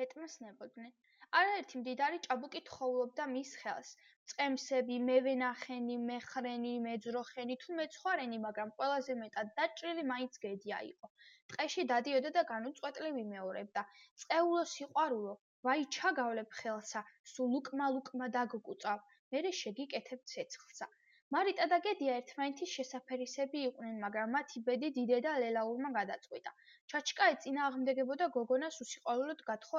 ეტმოსნებოდნენ. არაერთი მდიდარი ჭაბუკი თხოვლობდა მის ხელს. წყემსები, მევენახენი, მეხრენი, მეძროხენი თუ მეცხვარენი, მაგრამ ყველაზე მეტად დაჭრილი მაინც გედია იყო. ტყეში დადიოდა და განუწყვეტლივ იმეორებდა. წყეულო სიყვარულო, ვაი ჩაგავლებ ხელსა, სულ უკმა-ლუკმა დაგკუწავ, მერე შეგიკეთებ ცეცხლსა. მარიტა და გედია ერთმანეთის შესაფერისები იყვნენ, მაგრამ მათი ბედი დიდედა ლელაურმა გადაწყვიტა. ჩაჩკა ეწინააღმდეგებოდა გოგონას უსიყვარულოდ გათხოვებასა